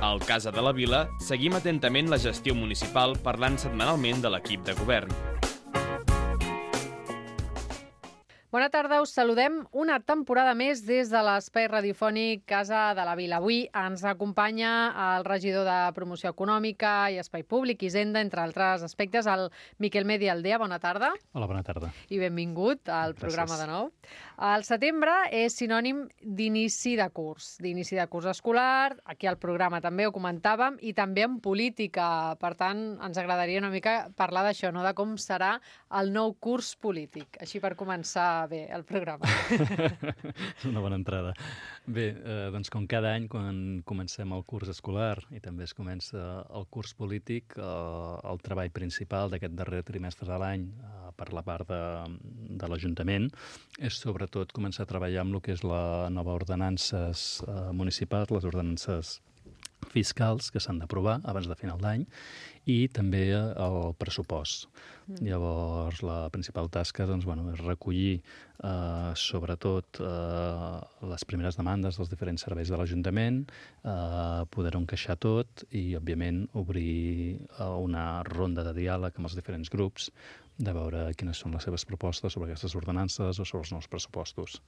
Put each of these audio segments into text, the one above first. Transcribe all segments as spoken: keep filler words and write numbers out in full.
Al Casa de la Vila seguim atentament la gestió municipal parlant setmanalment de l'equip de govern. Bona tarda, us saludem una temporada més des de l'espai radiofònic Casa de la Vila. Avui ens acompanya el regidor de Promoció Econòmica i Espai Públic, Hisenda, entre altres aspectes, el Miquel Medi Aldea. Bona tarda. Hola, bona tarda. I benvingut al Gràcies. programa de nou. El setembre és sinònim d'inici de curs, d'inici de curs escolar. Aquí al programa també ho comentàvem, i també en política. Per tant, ens agradaria una mica parlar d'això, no? De com serà el nou curs polític. Així per començar bé el programa. És una bona entrada. Bé, eh, doncs com cada any, quan comencem el curs escolar i també es comença el curs polític, eh, el treball principal d'aquest darrer trimestre de l'any eh, per la part de, de l'Ajuntament és sobretot començar a treballar amb el que és la nova ordenances eh, municipals, les ordenances fiscals que s'han d'aprovar abans de final d'any, i també el pressupost. Mm. Llavors, la principal tasca doncs, bueno, és recollir eh, sobretot eh, les primeres demandes dels diferents serveis de l'Ajuntament, eh, poder-ho encaixar tot i, òbviament, obrir eh, una ronda de diàleg amb els diferents grups de veure quines són les seves propostes sobre aquestes ordenances o sobre els nous pressupostos.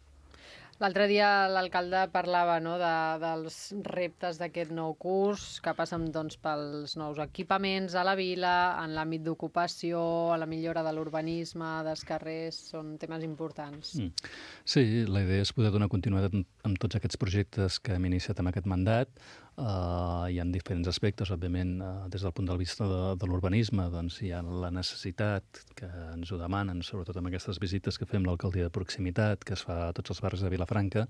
L'altre dia l'alcalde parlava, no, de, dels reptes d'aquest nou curs, que passen doncs, pels nous equipaments a la vila, en l'àmbit d'ocupació, a la millora de l'urbanisme, dels carrers, són temes importants. Mm. Sí, la idea és poder donar continuïtat amb tots aquests projectes que hem iniciat amb aquest mandat. Uh, hi ha diferents aspectes, òbviament, uh, des del punt de vista de, de l'urbanisme, doncs hi ha la necessitat que ens ho demanen, sobretot amb aquestes visites que fem l'alcaldia de proximitat, que es fa a tots els barris de Vilafranca,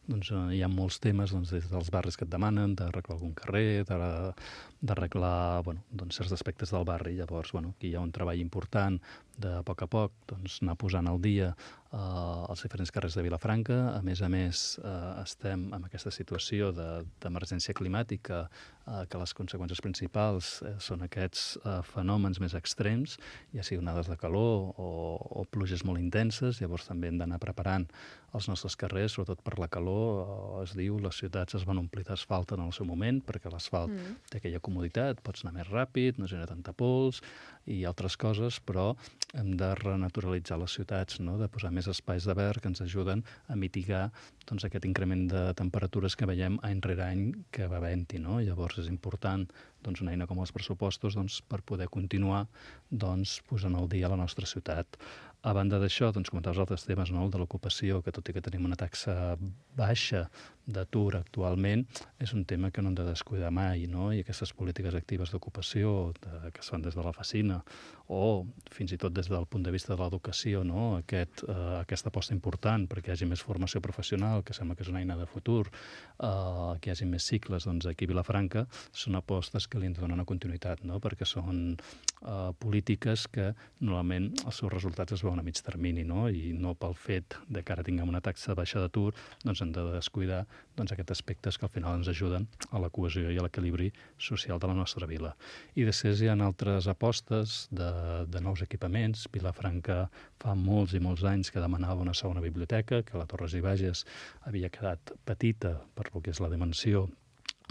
doncs uh, hi ha molts temes doncs, des dels barris que et demanen, d'arreglar algun carrer, d'arreglar bueno, doncs, certs aspectes del barri. Llavors, bueno, aquí hi ha un treball important de a poc a poc doncs, anar posant al dia Uh, els diferents carrers de Vilafranca. A més a més, uh, estem en aquesta situació d'emergència climàtica, uh, que les conseqüències principals uh, són aquests uh, fenòmens més extrems, ja sigui onades de calor o, o pluges molt intenses. Llavors també hem d'anar preparant els nostres carrers, sobretot per la calor. Uh, es diu, les ciutats es van omplir d'asfalt en el seu moment, perquè l'asfalt mm. té aquella comoditat, pots anar més ràpid, no genera tanta pols i altres coses, però hem de renaturalitzar les ciutats, no? De posar més espais de verd que ens ajuden a mitigar doncs, aquest increment de temperatures que veiem any rere any que va havent-hi, no? Llavors és important doncs, una eina com els pressupostos doncs, per poder continuar doncs, posant al dia la nostra ciutat. A banda d'això, doncs, comentaves altres temes, no? El de l'ocupació, que tot i que tenim una taxa baixa d'atur actualment, és un tema que no hem de descuidar mai, no? I aquestes polítiques actives d'ocupació de, que es fan des de la Facina o fins i tot des del punt de vista de l'educació, no? Aquest, eh, aquesta aposta important perquè hi hagi més formació professional, que sembla que és una eina de futur, eh, que hi hagi més cicles, doncs aquí a Vilafranca són apostes que li han de donar una continuïtat, no? Perquè són eh, polítiques que normalment els seus resultats es veuen a mig termini, no? I no pel fet de que ara tinguem una taxa baixa d'atur, doncs hem de descuidar doncs, aquests aspectes que al final ens ajuden a la cohesió i a l'equilibri social de la nostra vila. I després hi ha altres apostes de, de nous equipaments. Vilafranca fa molts i molts anys que demanava una segona biblioteca, que la Torres i Bages havia quedat petita per lo que és la dimensió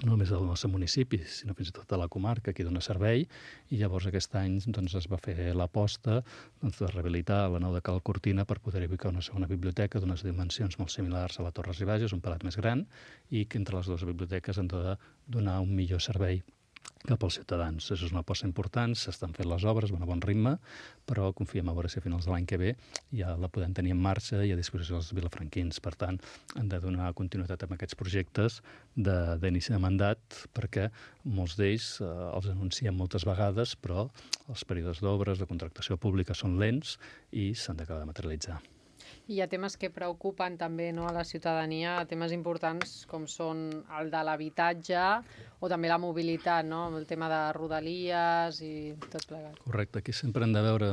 no només del nostre municipi, sinó fins i tot de la comarca, que dona servei, i llavors aquest any doncs, es va fer l'aposta doncs, de rehabilitar la nau de Cal Cortina per poder ubicar una segona biblioteca d'unes dimensions molt similars a la Torres i Bages, un pelat més gran, i que entre les dues biblioteques han de donar un millor servei cap als ciutadans. Això és una aposta important, s'estan fent les obres, van a bon ritme, però confiem a veure si a finals de l'any que ve ja la podem tenir en marxa i a disposició dels vilafranquins. Per tant, hem de donar continuïtat amb aquests projectes d'inici de, de mandat, perquè molts d'ells eh, els anunciem moltes vegades, però els períodes d'obres, de contractació pública són lents i s'han d'acabar de materialitzar. I hi ha temes que preocupen també, no, a la ciutadania, temes importants com són el de l'habitatge o també la mobilitat, no? El tema de rodalies i tot plegat. Correcte, aquí sempre hem de veure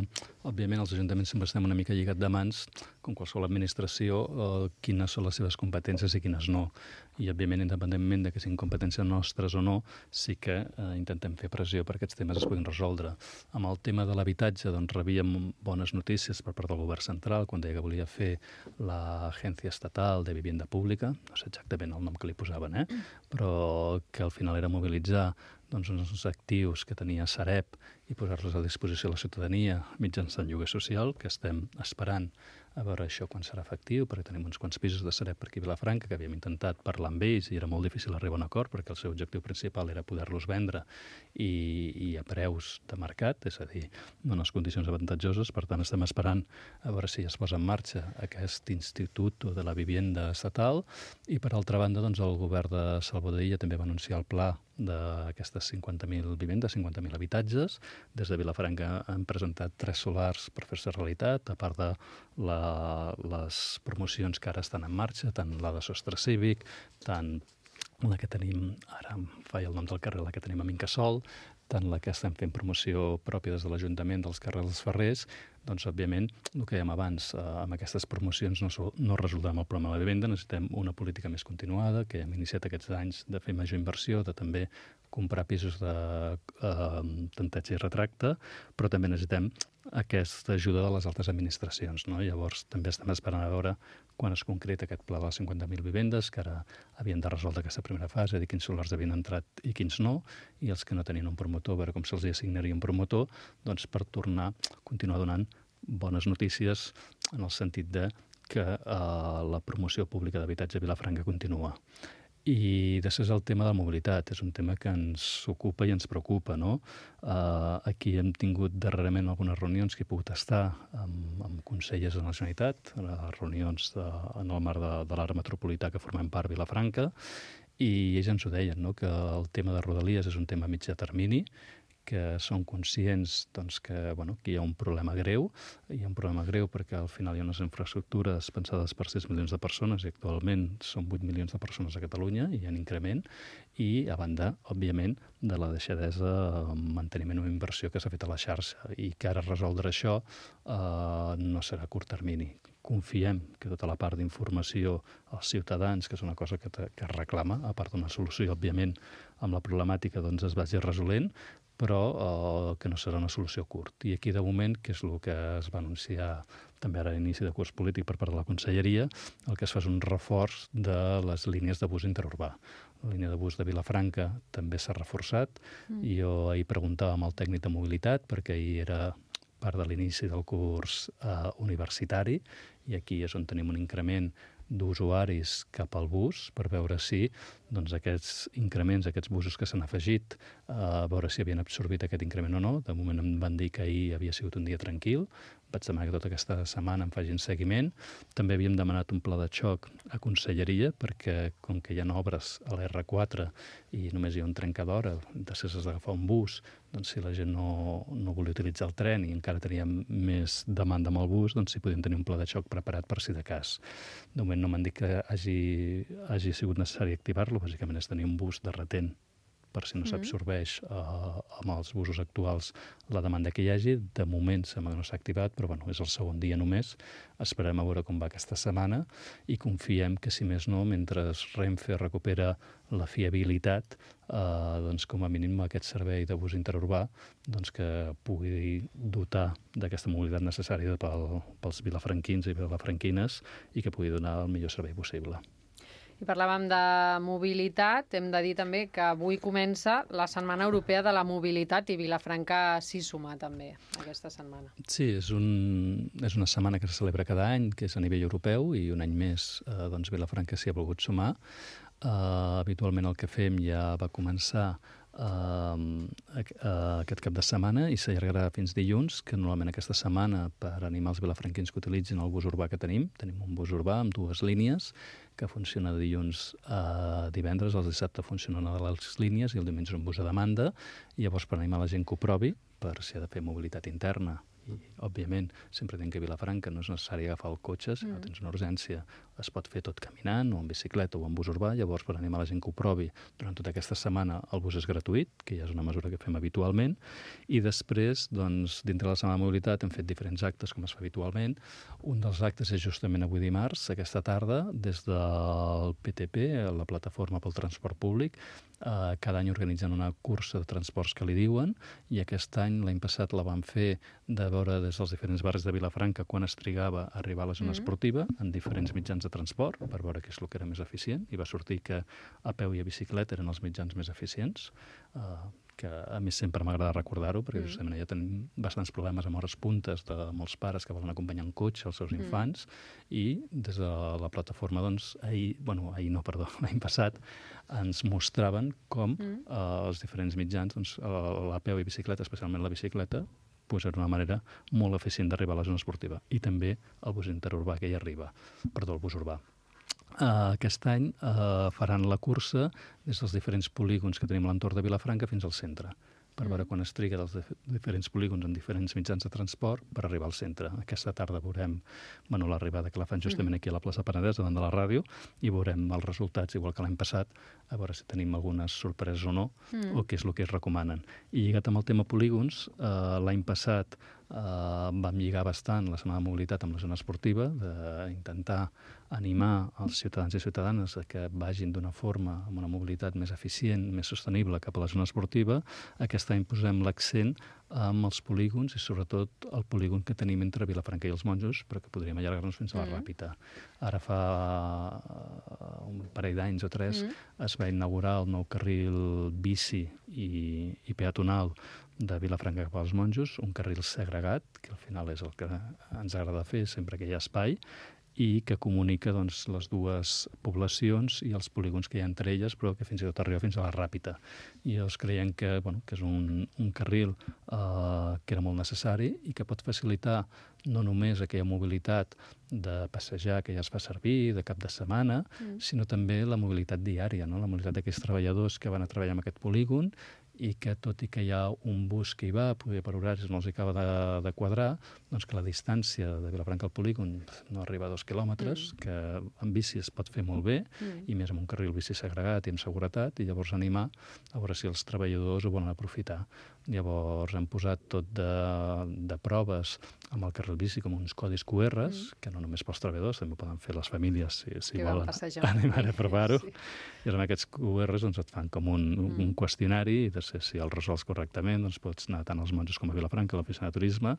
òbviament, els ajuntaments sempre estem una mica lligats de mans, com qualsevol administració, eh, quines són les seves competències i quines no. I, òbviament, independentment de que siguin competències nostres o no, sí que eh, intentem fer pressió perquè aquests temes es puguin resoldre. Amb el tema de l'habitatge, doncs, rebíem bones notícies per part del govern central, quan deia que volia fer l'Agència Estatal de Vivienda Pública, no sé exactament el nom que li posaven, eh? Però que al final era mobilitzar doncs, uns actius que tenia Sareb i posar-los a disposició de la ciutadania mitjançant lloguer social, que estem esperant a veure això quan serà efectiu, perquè tenim uns quants pisos de Sareb per aquí a Vilafranca que havíem intentat parlar amb ells i era molt difícil arribar a un acord perquè el seu objectiu principal era poder-los vendre i, i a preus de mercat, és a dir, en unes condicions avantatjoses. Per tant, estem esperant a veure si es posa en marxa aquest Institut de la Vivienda Estatal i, per altra banda, doncs, el govern de Salvador Illa també va anunciar el pla d'aquestes cinquanta mil vivendes, cinquanta mil habitatges. Des de Vilafranca han presentat tres solars per fer-se realitat, a part de la, les promocions que ara estan en marxa, tant la de sostre cívic, tant la que tenim, ara em faig el nom del carrer, la que tenim a Incasòl, tant la que estem fent promoció pròpia des de l'Ajuntament dels carrers dels Ferrers. Doncs, òbviament, el que dèiem abans, eh, amb aquestes promocions no, no resoldrem el problema de la vivenda, necessitem una política més continuada, que hem iniciat aquests anys de fer major inversió, de també comprar pisos de eh, tanteig i retracte, però també necessitem aquesta ajuda de les altres administracions, no? Llavors, també estem esperant a veure quan es concreta aquest pla de les cinquanta mil vivendes, que ara havien de resoldre aquesta primera fase, dir quins solars havien entrat i quins no, i els que no tenien un promotor, a veure com se'ls assignaria un promotor, doncs per tornar a continuar donant bones notícies en el sentit de que eh, la promoció pública d'habitatge a Vilafranca continua. I després el tema de la mobilitat, és un tema que ens ocupa i ens preocupa, no? Uh, aquí hem tingut darrerament algunes reunions que he pogut estar amb, amb consellers de la Generalitat, reunions de, en el marc de, de l'àrea metropolità que formem part Vilafranca, i ells ens ho deien, no? Que el tema de Rodalies és un tema a mitjà termini, que són conscients doncs, que, bueno, que hi ha un problema greu. Hi ha un problema greu perquè al final hi ha unes infraestructures pensades per sis milions de persones i actualment són vuit milions de persones a Catalunya i hi ha un increment. I a banda, òbviament, de la deixadesa en manteniment o inversió que s'ha fet a la xarxa i que ara resoldre això eh, no serà a curt termini. Confiem que tota la part d'informació als ciutadans, que és una cosa que, te, que es reclama, a part d'una solució, òbviament, amb la problemàtica doncs, es vagi resolent, però eh, que no serà una solució curt. I aquí, de moment, que és el que es va anunciar també ara a l'inici de curs polític per part de la Conselleria, el que es fa és un reforç de les línies de bus interurbà. La línia de bus de Vilafranca també s'ha reforçat. Mm. I jo ahir preguntava amb el tècnic de mobilitat, perquè ahir era part de l'inici del curs eh, universitari, i aquí és on tenim un increment d'usuaris cap al bus per veure si doncs, aquests increments, aquests busos que s'han afegit, eh, a veure si havien absorbit aquest increment o no. De moment em van dir que ahir havia sigut un dia tranquil. Vaig demanar que tota aquesta setmana em facin seguiment. També havíem demanat un pla de xoc a Conselleria perquè, com que hi ha obres a l'erre quatre i només hi ha un trencadora, després has d'agafar un bus, doncs si la gent no, no volia utilitzar el tren i encara teníem més demanda amb el bus, doncs si podíem tenir un pla de xoc preparat per si de cas. De moment no m'han dit que hagi, hagi sigut necessari activar-lo, bàsicament és tenir un bus de retent per si no s'absorbeix eh, amb els busos actuals la demanda que hi hagi. De moment sembla que no s'ha activat, però bueno, és el segon dia només. Esperem a veure com va aquesta setmana i confiem que, si més no, mentre Renfe recupera la fiabilitat, eh, doncs com a mínim aquest servei de bus interurbà doncs que pugui dotar d'aquesta mobilitat necessària pel, pels vilafranquins i vilafranquines i que pugui donar el millor servei possible. I parlàvem de mobilitat, hem de dir també que avui comença la Setmana Europea de la Mobilitat i Vilafranca s'hi suma també aquesta setmana. Sí, és, un, és una setmana que se celebra cada any, que és a nivell europeu, i un any més eh, doncs Vilafranca s'hi ha volgut sumar. Eh, habitualment el que fem ja va començar Uh, uh, aquest cap de setmana i s'allargarà fins dilluns, que normalment aquesta setmana, per animar els vilafranquins que utilitzin el bus urbà que tenim, tenim un bus urbà amb dues línies que funciona de dilluns a divendres, el dissabte funciona una de les línies i el diumenge és un bus a demanda, i llavors per animar la gent que ho provi, per si ha de fer mobilitat interna. I, òbviament, sempre tenc que a Vilafranca no és necessari agafar el cotxe, si no tens una urgència, es pot fer tot caminant, o en bicicleta, o en bus urbà. Llavors, per animar la gent que ho provi, durant tota aquesta setmana el bus és gratuït, que ja és una mesura que fem habitualment, i després, doncs, dintre de la setmana de mobilitat hem fet diferents actes, com es fa habitualment. Un dels actes és justament avui dimarts, aquesta tarda, des del P T P, la Plataforma pel Transport Públic. Eh, cada any organitzen una cursa de transports que li diuen, i aquest any, l'any passat, la vam fer de veure des dels diferents barris de Vilafranca quan es trigava a arribar a la zona mm. esportiva, en diferents mitjans de transport, per veure què és el que era més eficient, i va sortir que a peu i a bicicleta eren els mitjans més eficients, eh, que a mi sempre m'agrada recordar-ho, perquè mm. justament ja tenim bastants problemes amb hores puntes de molts pares que volen acompanyar en cotxe els seus mm. infants, i des de la plataforma, doncs, ahir, bueno, ahir no, perdó, l'any passat, ens mostraven com mm. eh, els diferents mitjans, doncs, la peu i bicicleta, especialment la bicicleta, pues era una manera molt eficient d'arribar a la zona esportiva. I també el bus interurbà que hi arriba, perdó, el bus urbà. Uh, aquest any uh, faran la cursa des dels diferents polígons que tenim a l'entorn de Vilafranca fins al centre, per veure quan es triga dels diferents polígons en diferents mitjans de transport per arribar al centre. Aquesta tarda veurem bueno, l'arribada que la fan justament aquí a la plaça Penedès, davant de la ràdio, i veurem els resultats, igual que l'any passat, a veure si tenim algunes sorpreses o no, mm. o què és el que es recomanen. I lligat amb el tema polígons, eh, l'any passat eh, vam lligar bastant la setmana de mobilitat amb la zona esportiva, d'intentar animar els ciutadans i ciutadanes a que vagin d'una forma amb una mobilitat més eficient, més sostenible cap a la zona esportiva. Aquest any posem l'accent amb els polígons i sobretot el polígon que tenim entre Vilafranca i els Monjos, però que podríem allargar-nos fins a la mm. Ràpita. Ara fa un parell d'anys o tres mm. es va inaugurar el nou carril bici i, i peatonal de Vilafranca cap als Monjos, un carril segregat, que al final és el que ens agrada fer sempre que hi ha espai, i que comunica doncs, les dues poblacions i els polígons que hi ha entre elles, però que fins i tot arriba fins a la Ràpita. I llavors creiem que, bueno, que és un, un carril eh, que era molt necessari i que pot facilitar no només aquella mobilitat de passejar que ja es fa servir, de cap de setmana, mm. sinó també la mobilitat diària, no? La mobilitat d'aquells treballadors que van a treballar en aquest polígon i que, tot i que hi ha un bus que hi va, poder per horaris no els acaba de, de quadrar, doncs que la distància de Vilafranca al polígon no arriba a dos quilòmetres, mm. que en bici es pot fer molt bé, mm. i més amb un carril bici segregat i amb seguretat, i llavors animar a veure si els treballadors ho volen aprofitar. Llavors hem posat tot de, de proves amb el carril bici com uns codis Q Rs, mm. que no només pels treballadors, també poden fer les famílies si, si volen animar a provar-ho. Sí. I amb aquests Q Rs doncs, et fan com un, mm. un qüestionari, i de ser si els resols correctament, doncs pots anar tant als Monjos com a Vilafranca, a l'oficina de turisme,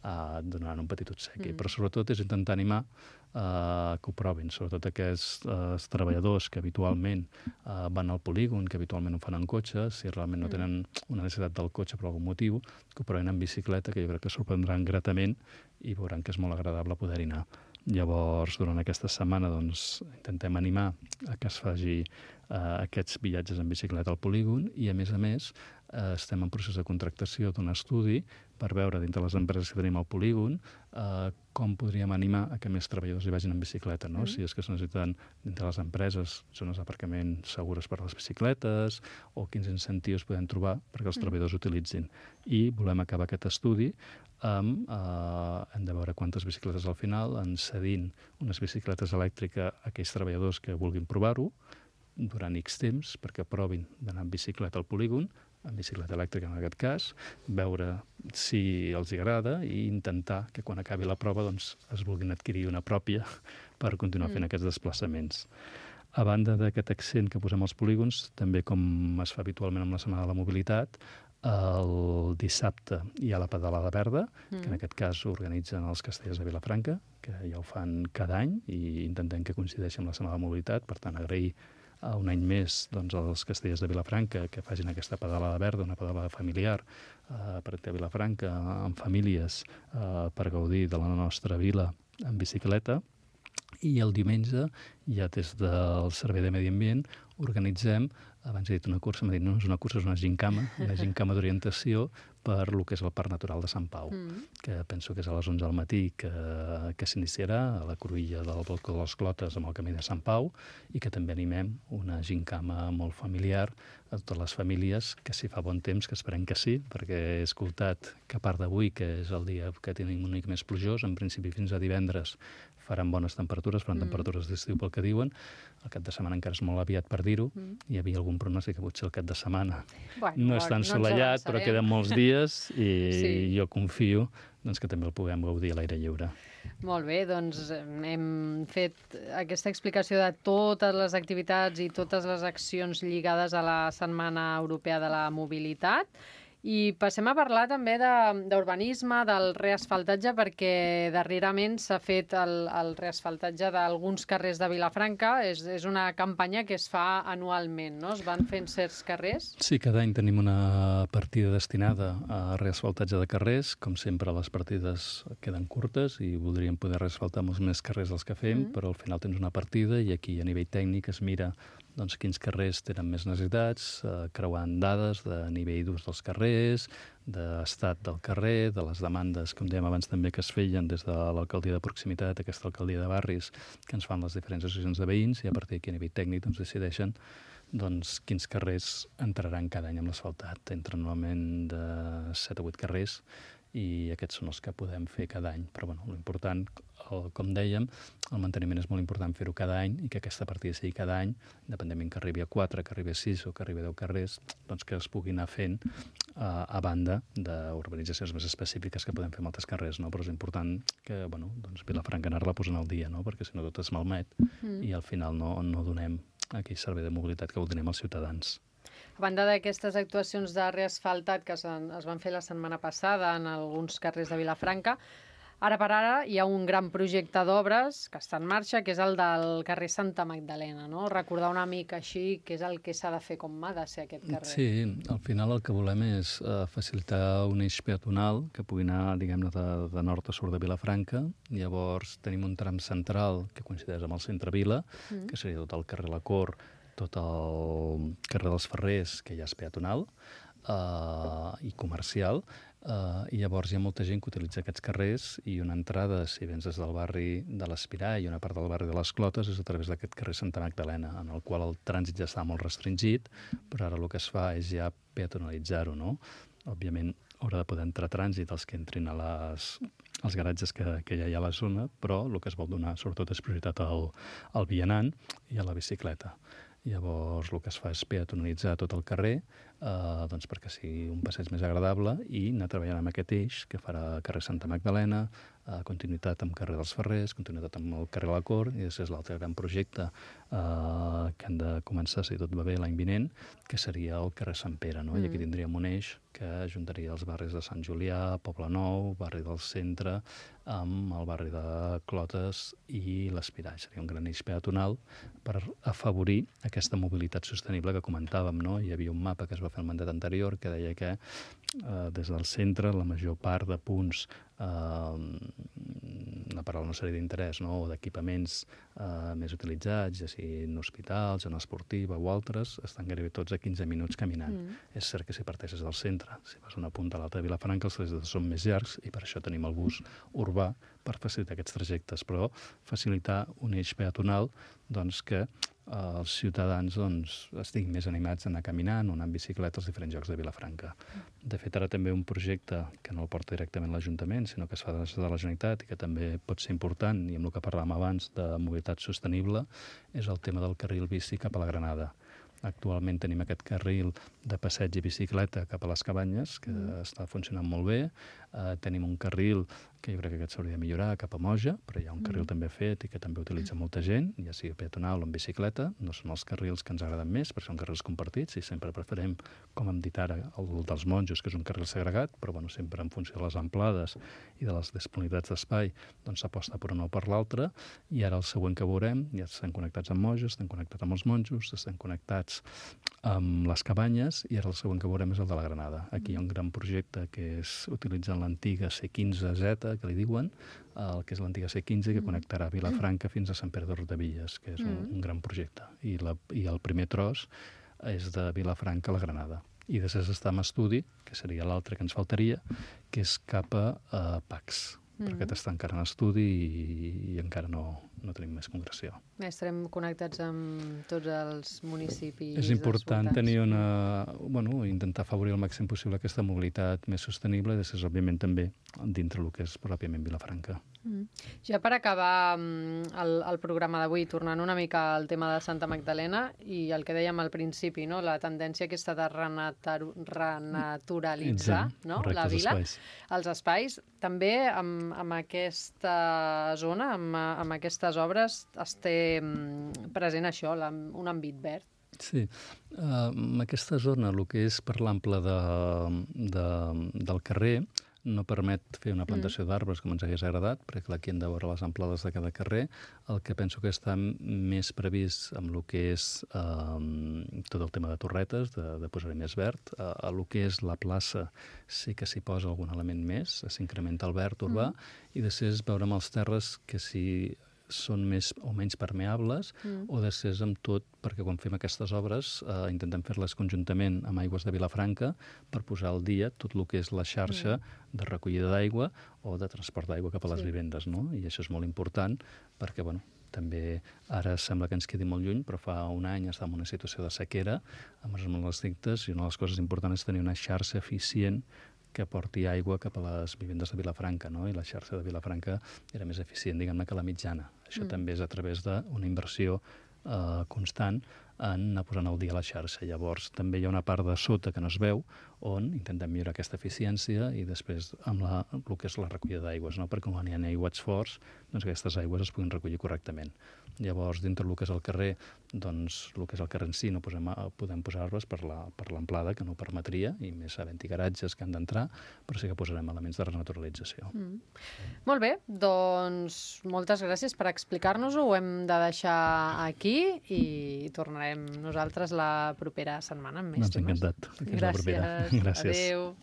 eh, donant un petit obsequi. Mm. Però sobretot és intentar animar eh, que ho provin, sobretot aquests eh, treballadors que habitualment eh, van al polígon, que habitualment ho fan en cotxe, si realment no tenen una necessitat del cotxe per algun motiu, que ho provin en bicicleta, que jo crec que sorprendran gratament i veuran que és molt agradable poder-hi anar. Llavors, durant aquesta setmana, doncs, intentem animar a que es faci eh, aquests viatges en bicicleta al polígon i, a més a més, eh, estem en procés de contractació d'un estudi per veure, dintre les empreses que tenim al polígon, eh, com podríem animar a que més treballadors hi vagin en bicicleta, no? Mm. Si és que es necessiten, dintre les empreses, zones d'aparcament segures per a les bicicletes, o quins incentius podem trobar perquè els mm. treballadors utilitzin. I volem acabar aquest estudi amb, eh, hem de veure quantes bicicletes al final, en cedint unes bicicletes elèctriques a aquells treballadors que vulguin provar-ho durant X temps, perquè provin d'anar en bicicleta al polígon, en bicicleta elèctrica en aquest cas, veure si els agrada i intentar que quan acabi la prova doncs, es vulguin adquirir una pròpia per continuar fent mm. aquests desplaçaments. A banda d'aquest accent que posem als polígons, també com es fa habitualment amb la Setmana de la Mobilitat, el dissabte hi ha la pedalada verda, mm. que en aquest cas organitzen els castellers de Vilafranca, que ja ho fan cada any i intentem que coincideixi amb la Setmana de la Mobilitat. Per tant, agrair a un any més doncs, als castellers de Vilafranca que facin aquesta pedalada verda, una pedalada familiar eh, per a Vilafranca amb famílies eh, per gaudir de la nostra vila en bicicleta. I el diumenge, ja des del Servei de Medi Ambient, organitzem abans he dit una cursa, m'ha dit no, no és una cursa, és una gincama, una gincama d'orientació per lo que és el Parc Natural de Sant Pau, mm. que penso que és a les onze del matí que, que s'iniciarà a la cruïlla del Balcó de les Clotes amb el camí de Sant Pau i que també animem una gincama molt familiar a totes les famílies, que si fa bon temps, que esperem que sí, perquè he escoltat que a part d'avui, que és el dia que tenim un mica més plujós, en principi fins a divendres faran bones temperatures, faran mm. temperatures d'estiu pel que diuen. El cap de setmana encara és molt aviat per dir-ho. Mm. Hi havia algun pronòstic que potser el cap de setmana bueno, no és tan no assolellat, però queden molts dies i sí. jo confio doncs, que també el puguem gaudir a l'aire lliure. Molt bé, doncs hem fet aquesta explicació de totes les activitats i totes les accions lligades a la Setmana Europea de la Mobilitat. I passem a parlar també d'urbanisme, de, del reasfaltatge, perquè darrerament s'ha fet el, el reasfaltatge d'alguns carrers de Vilafranca. És, és una campanya que es fa anualment, no? Es van fent certs carrers? Sí, cada any tenim una partida destinada a reasfaltatge de carrers. Com sempre, les partides queden curtes i voldríem poder reasfaltar molts més carrers dels que fem, mm. però al final tens una partida i aquí a nivell tècnic es mira doncs, quins carrers tenen més necessitats, eh, creuant dades de nivell d'ús dels carrers, d'estat del carrer, de les demandes, com dèiem abans també, que es feien des de l'alcaldia de proximitat, aquesta alcaldia de barris, que ens fan les diferents associacions de veïns, i a partir d'aquí a nivell tècnic doncs, decideixen doncs, quins carrers entraran cada any amb l'asfaltat. Entren normalment de set a vuit carrers, i aquests són els que podem fer cada any. Però, bueno, l'important, el, com dèiem, el manteniment és molt important fer-ho cada any i que aquesta partida sigui cada any, independentment que arribi a quatre, que arribi a sis o que arribi a deu carrers, doncs que es pugui anar fent uh, a banda d'urbanitzacions més específiques que podem fer amb altres carrers, no? Però és important que, bueno, doncs Vilafranca anar-la posant al dia, no? Perquè si no tot es malmet mm. i al final no, no donem aquell servei de mobilitat que voldríem als ciutadans. A banda d'aquestes actuacions de reasfaltat que es van fer la setmana passada en alguns carrers de Vilafranca, ara per ara hi ha un gran projecte d'obres que està en marxa, que és el del carrer Santa Magdalena, no? Recordar una mica així què és el que s'ha de fer, com ha de ser aquest carrer. Sí, al final el que volem és uh, facilitar un eix peatonal que pugui anar, diguem-ne, de, de nord a sud de Vilafranca. Llavors tenim un tram central que coincideix amb el centre Vila, mm. que seria tot el carrer La Cor, tot el carrer dels Ferrers, que ja és peatonal uh, i comercial, uh, i llavors hi ha molta gent que utilitza aquests carrers i una entrada, si vens des del barri de l'Espirà i una part del barri de les Clotes, és a través d'aquest carrer Santa Magdalena, en el qual el trànsit ja està molt restringit, però ara el que es fa és ja peatonalitzar-ho, no? Òbviament haurà de poder entrar trànsit els que entrin a les, als garatges que, que ja hi ha a la zona, però el que es vol donar sobretot és prioritat al, al vianant i a la bicicleta. Llavors el que es fa és peatonalitzar tot el carrer eh, doncs perquè sigui un passeig més agradable i anar treballant amb aquest eix que farà carrer Santa Magdalena, eh, continuïtat amb carrer dels Ferrers, continuïtat amb el carrer La Cor, i després l'altre gran projecte eh, que han de començar, si tot va bé, l'any vinent, que seria el carrer Sant Pere, no? Mm. I aquí tindríem un eix que ajuntaria els barris de Sant Julià, Poble Nou, barri del Centre, amb el barri de Clotes i l'Espirà. Seria un gran eix peatonal per afavorir aquesta mobilitat sostenible que comentàvem, no? Hi havia un mapa que es va fer al mandat anterior que deia que eh, des del centre la major part de punts eh, per a una sèrie d'interès, no? O d'equipaments eh, més utilitzats, ja sigui en hospitals, en esportiva o altres, estan gairebé tots a quinze minuts caminant. Mm. És cert que si parteixes del centre, si vas d'una punta a l'altra de Vilafranca, els trajectes són més llargs i per això tenim el bus urbà per facilitar aquests trajectes, però facilitar un eix peatonal doncs, que eh, els ciutadans doncs, estiguin més animats a anar caminant o anar en bicicleta als diferents llocs de Vilafranca. De fet, ara també un projecte que no el porta directament l'Ajuntament, sinó que es fa des de la Generalitat i que també pot ser important, i amb el que parlàvem abans de mobilitat sostenible, és el tema del carril bici cap a la Granada. Actualment tenim aquest carril de passeig i bicicleta cap a les Cabanyes, que mm. està funcionant molt bé. Uh, tenim un carril que jo crec que aquest s'hauria de millorar cap a Moja, però hi ha un carril mm. també fet i que també utilitza molta gent, ja sigui peatonal o en bicicleta. No són els carrils que ens agraden més, perquè són carrils compartits i sempre preferim, com hem dit ara, el dels Monjos, que és un carril segregat, però bueno, sempre en funció de les amplades i de les disponibilitats d'espai, doncs s'aposta per un o per l'altre. I ara el següent que veurem, ja estan connectats amb Moja, estan connectats amb els Monjos, estan connectats amb les Cabanyes, i ara el següent que veurem és el de la Granada. Aquí hi ha un gran projecte que és utilitzant l'antiga C quinze Z, que li diuen, el que és l'antiga C quinze, que connectarà Vilafranca fins a Sant Pere de Riudebitlles, que és un, un gran projecte. I, la, i el primer tros és de Vilafranca a la Granada. I després està en estudi, que seria l'altre que ens faltaria, que és cap a uh, Pacs. Mm-hmm. Perquè aquest està encara en estudi i, i encara no, no tenim més concreció. Bé, estarem connectats amb tots els municipis. És important tenir una... Bueno, intentar afavorir al màxim possible aquesta mobilitat més sostenible i després, òbviament, també dintre el que és pròpiament Vilafranca. Mm. Ja per acabar el, el programa d'avui, tornant una mica al tema de Santa Magdalena i el que dèiem al principi, no? La tendència aquesta de renatur renaturalitzar no? La vila, espais. els espais, també amb, amb aquesta zona, amb, amb aquestes obres, es té present això, la, un àmbit verd. Sí, uh, en aquesta zona, el que és per l'ample de, de, del carrer, no permet fer una plantació mm. d'arbres com ens hagués agradat, perquè clar, aquí hem de veure les amplades de cada carrer. El que penso que està més previst amb el que és eh, tot el tema de torretes, de, de posar-hi més verd. Eh, el que és la plaça sí que s'hi posa algun element més, s'incrementa el verd urbà, mm. i després veure amb els terres que si són més o menys permeables mm. o després amb tot, perquè quan fem aquestes obres eh, intentem fer-les conjuntament amb Aigües de Vilafranca per posar al dia tot el que és la xarxa mm. de recollida d'aigua o de transport d'aigua cap a les sí. vivendes, no? I això és molt important perquè, bueno, també ara sembla que ens quedi molt lluny, però fa un any estàvem en una situació de sequera amb els molt estrictes i una de les coses importants és tenir una xarxa eficient que porti aigua cap a les vivendes de Vilafranca, no? I la xarxa de Vilafranca era més eficient, diguem-ne, que la mitjana. Això mm. també és a través d'una inversió eh, constant en anar posant al dia la xarxa. Llavors, també hi ha una part de sota que no es veu, on intentem millorar aquesta eficiència i després amb la, el que és la recollida d'aigües, no? Perquè quan hi ha aiguats forts, doncs aquestes aigües es puguin recollir correctament. Llavors, dintre del que és el carrer, doncs, el que és el carrer en si no posem, podem posar arbres per l'amplada, que no permetria, i més havent-hi garatges que han d'entrar, però sí que posarem elements de renaturalització. Mm. Molt bé, doncs moltes gràcies per explicar-nos-ho. Ho hem de deixar aquí i tornarem nosaltres la propera setmana amb més temes. Doncs encantat. Gràcies. Gràcies. Adéu.